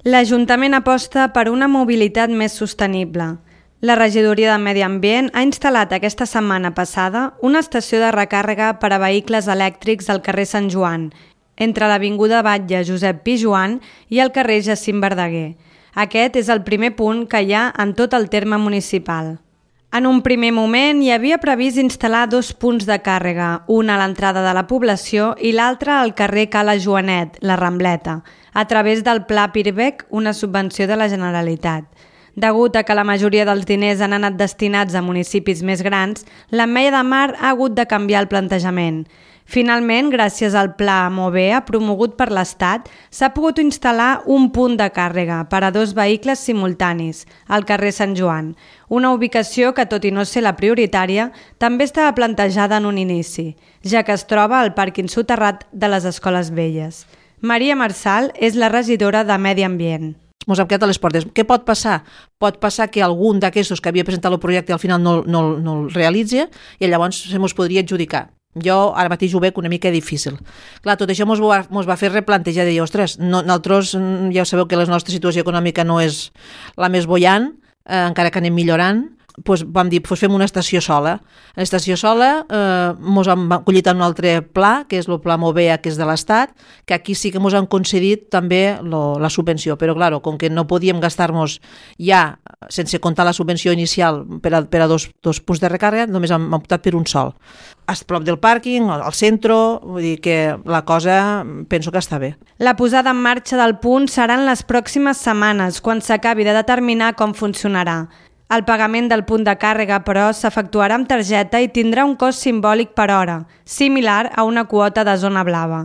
L'Ajuntament aposta per una mobilitat més sostenible. La Regidoria de Medi Ambient ha instal·lat aquesta setmana passada una estació de recàrrega per a vehicles elèctrics al carrer Sant Joan, entre l'avinguda Batlle Josep Pijoan i el carrer Jacint Verdaguer. Aquest és el primer punt que hi ha en tot el terme municipal. En un primer moment hi havia previst instal·lar 2 punts de càrrega, un a l'entrada de la població i l'altre al carrer Cala Joanet, la Rambleta, a través del Pla Pirbec, una subvenció de la Generalitat. Degut a que la majoria dels diners han anat destinats a municipis més grans, l'Ametlla de Mar ha hagut de canviar el plantejament. Finalment, gràcies al Pla Movea promogut per l'Estat, s'ha pogut instal·lar un punt de càrrega per a 2 vehicles simultanis, al carrer Sant Joan, una ubicació que, tot i no ser la prioritària, també estava plantejada en un inici, ja que es troba al pàrquing soterrat de les Escoles Velles. Maria Marçal és la regidora de Medi Ambient. Ens hem quedat a les portes. Què pot passar? Pot passar que algun d'aquests que havia presentat el projecte al final no el realitzi i llavors se mos podria adjudicar. Jo ara mateix ho veig una mica difícil. Clar, tot això mos va fer replantejar de dir, ostres, nosaltres ja sabeu que la nostra situació econòmica no és la més bollant, encara que anem millorant, doncs vam dir, fem una estació sola. L'estació sola mos hem acollit en un altre pla, que és el Pla Movea, que és de l'Estat, que aquí sí que mos han concedit també la subvenció, però clar, com que no podíem gastar-nos ja, sense comptar la subvenció inicial per a dos punts de recàrrega, només hem optat per un sol. A prop del pàrquing, al centre, vull dir que la cosa penso que està bé. La posada en marxa del punt serà en les pròximes setmanes, quan s'acabi de determinar com funcionarà. El pagament del punt de càrrega, però, s'efectuarà amb targeta i tindrà un cost simbòlic per hora, similar a una quota de zona blava.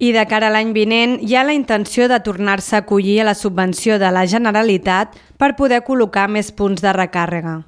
I de cara a l'any vinent hi ha la intenció de tornar-se a acollir a la subvenció de la Generalitat per poder col·locar més punts de recàrrega.